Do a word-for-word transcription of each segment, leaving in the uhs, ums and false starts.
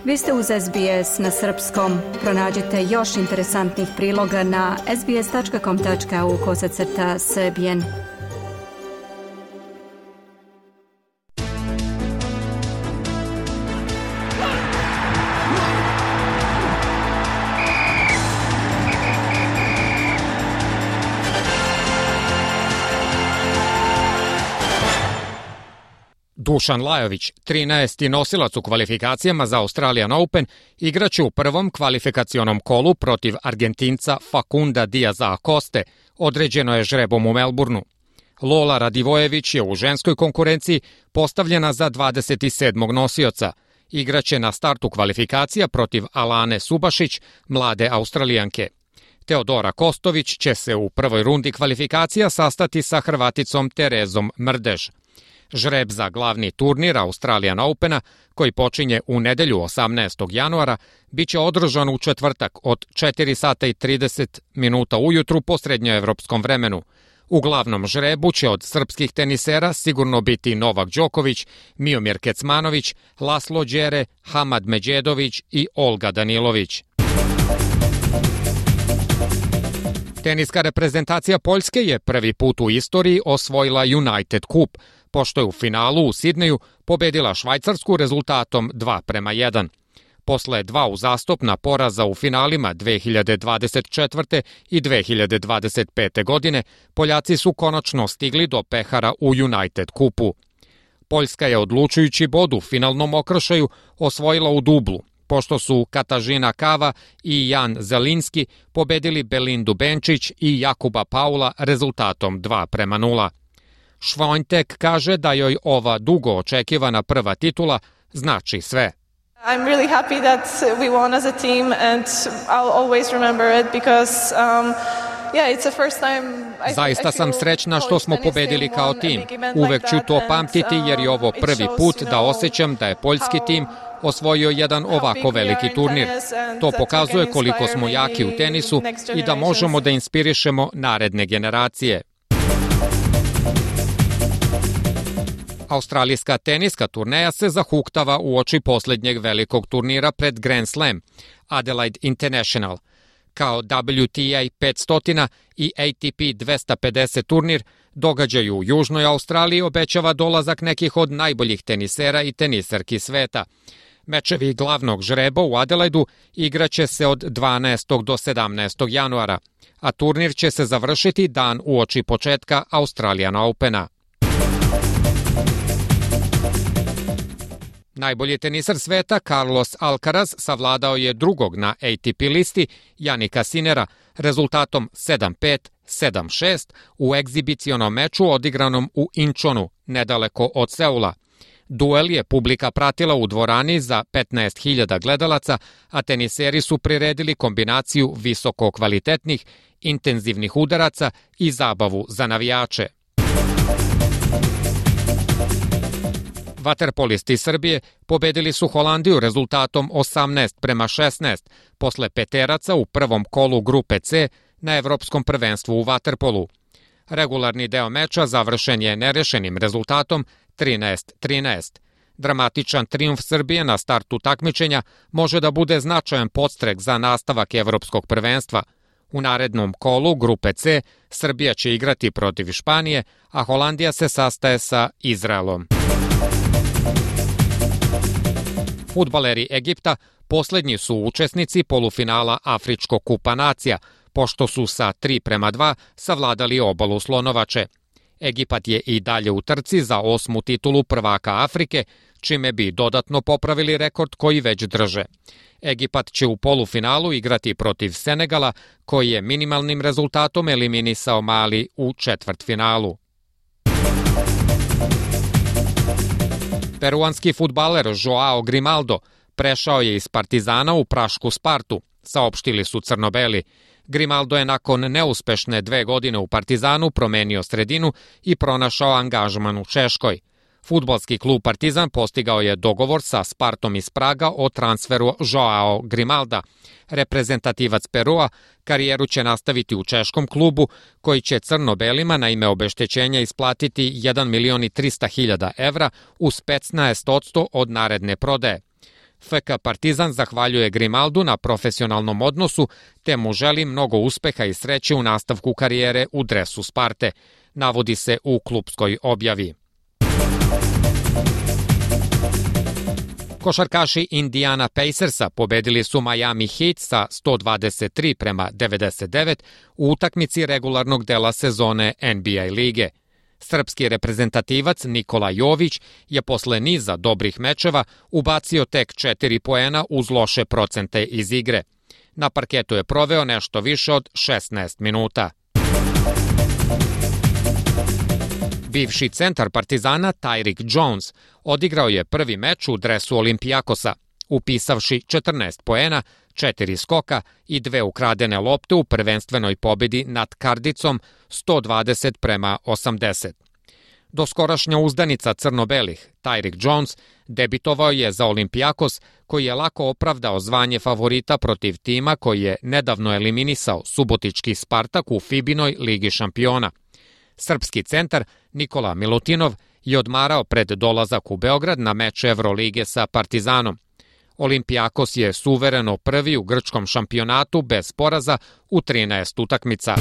Vi ste uz S B S na srpskom. Pronađite još interesantnih priloga na sbs tačka com tačka au kosacrta srbijen. Dušan Lajović, trinaesti nosilac u kvalifikacijama za Australian Open, igraće u prvom kvalifikacionom kolu protiv Argentinca Facunda Diaza Acoste, određeno je žrebom u Melbourneu. Lola Radivojević je u ženskoj konkurenciji postavljena za dvadeset sedmog nosioca. Igraće na startu kvalifikacija protiv Alane Subašić, mlade Australijanke. Teodora Kostović će se u prvoj rundi kvalifikacija sastati sa Hrvaticom Terezom Mrdež. Žreb za glavni turnir Australian Opena, koji počinje u nedelju osamnaestog januara, biće održan u četvrtak od četiri sata i trideset minuta ujutru po srednjoevropskom vremenu. U glavnom žrebu će od srpskih tenisera sigurno biti Novak Đoković, Miomir Kecmanović, Laslo Đere, Hamad Međedović i Olga Danilović. Teniska reprezentacija Poljske je prvi put u istoriji osvojila United Cup, pošto je u finalu u Sidneju pobedila Švajcarsku rezultatom dva prema jedan. Posle dva uzastopna poraza u finalima dve hiljade dvadeset četvrte. i dve hiljade dvadeset pete. godine, Poljaci su konačno stigli do pehara u United Cupu. Poljska je odlučujući bod u finalnom okršaju osvojila u dublu, pošto su Katažina Kava i Jan Zelinski pobedili Belindu Benčić i Jakuba Paula rezultatom dva prema nula. Švontek kaže da joj ova dugo očekivana prva titula znači sve. I'm really happy that we won as a team and I'll always remember it because um, yeah, it's the first time I Zaista sam srećna što smo pobedili kao tim. Uvek ću to pamtiti jer je ovo prvi put da osjećam da je poljski tim osvojio jedan ovako veliki turnir. To pokazuje koliko smo jaki u tenisu i da možemo da inspirišemo naredne generacije. Australijska teniska turneja se zahuktava uoči poslednjeg velikog turnira pred Grand Slam, Adelaide International. Kao W T A petsto i A T P dvesta pedeset turnir, događaj u Južnoj Australiji obećava dolazak nekih od najboljih tenisera i teniserki sveta. Mečevi glavnog žreba u Adelaidu igraće se od dvanaestog do sedamnaestog januara, a turnir će se završiti dan uoči početka Australian Opena. Najbolji teniser sveta Carlos Alcaraz savladao je drugog na A T P listi Janika Sinera rezultatom sedam pet, sedam šest u egzibicionom meču odigranom u Inčonu, nedaleko od Seula. Duel je publika pratila u dvorani za petnaest hiljada gledalaca, a teniseri su priredili kombinaciju visoko kvalitetnih, intenzivnih udaraca i zabavu za navijače. Vaterpolisti Srbije pobedili su Holandiju rezultatom osamnaest prema šesnaest posle peteraca u prvom kolu grupe C na Evropskom prvenstvu u vaterpolu. Regularni deo meča završen je nerešenim rezultatom trinaest trinaest. Dramatičan trijumf Srbije na startu takmičenja može da bude značajan podstrek za nastavak Evropskog prvenstva. U narednom kolu grupe C Srbija će igrati protiv Španije, a Holandija se sastaje sa Izraelom. Fudbaleri Egipta poslednji su učesnici polufinala Afričkog kupa nacija, pošto su sa tri prema dva savladali obalu Slonovače. Egipat je i dalje u trci za osmu titulu prvaka Afrike, čime bi dodatno popravili rekord koji već drže. Egipat će u polufinalu igrati protiv Senegala, koji je minimalnim rezultatom eliminisao Mali u četvrtfinalu. Peruanski fudbaler Joao Grimaldo prešao je iz Partizana u prašku Spartu, saopštili su crno-beli. Grimaldo je nakon neuspešne dve godine u Partizanu promenio sredinu i pronašao angažman u Češkoj. Fudbalski klub Partizan postigao je dogovor sa Spartom iz Praga o transferu Joao Grimalda. Reprezentativac Perua karijeru će nastaviti u češkom klubu, koji će crno-belima na ime obeštećenja isplatiti jedan milion i trista hiljada evra uz petnaest posto od naredne prodaje. F K Partizan zahvaljuje Grimaldu na profesionalnom odnosu, te mu želi mnogo uspeha i sreće u nastavku karijere u dresu Sparte, navodi se u klupskoj objavi. Košarkaši Indiana Pacersa pobedili su Miami Heat sa sto dvadeset tri prema devedeset devet u utakmici regularnog dela sezone N B A lige. Srpski reprezentativac Nikola Jović je posle niza dobrih mečeva ubacio tek četiri poena uz loše procente iz igre. Na parketu je proveo nešto više od šesnaest minuta. Bivši centar Partizana Tyrick Jones odigrao je prvi meč u dresu Olimpijakosa, upisavši četrnaest poena, četiri skoka i dve ukradene lopte u prvenstvenoj pobedi nad Kardicom sto dvadeset prema osamdeset. Doskorašnja uzdanica crno-belih, Tyrick Jones, debitovao je za Olimpijakos, koji je lako opravdao zvanje favorita protiv tima koji je nedavno eliminisao subotički Spartak u Fibinoj ligi šampiona. Srpski centar Nikola Milutinov je odmarao pred dolazak u Beograd na meč Evrolige sa Partizanom. Olimpijakos je suvereno prvi u grčkom šampionatu bez poraza u trinaest utakmica.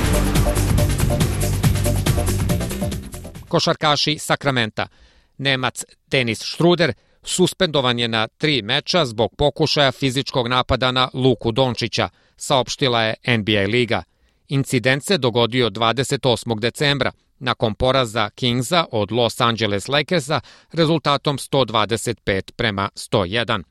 Košarkaši Sakramenta. Nemac Denis Šruder suspendovan je na tri meča zbog pokušaja fizičkog napada na Luku Dončića, saopštila je N B A liga. Incident se dogodio dvadeset osmog decembra, nakon poraza Kingsa od Los Angeles Lakersa rezultatom sto dvadeset pet prema sto jedan.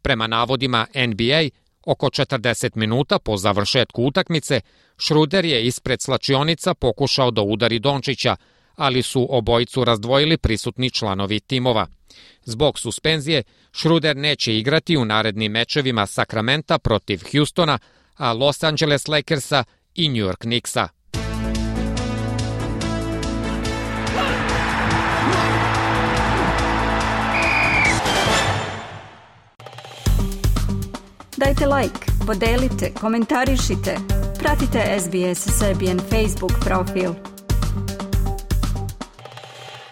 Prema navodima N B A, oko četrdeset minuta po završetku utakmice, Šruder je ispred slačionica pokušao da udari Dončića, ali su obojicu razdvojili prisutni članovi timova. Zbog suspenzije, Šruder neće igrati u narednim mečevima Sakramenta protiv Houstona, a Los Angeles Lakersa i New York Knicksa. Dajte like, podelite, komentarišite, pratite S B S Serbian Facebook profil.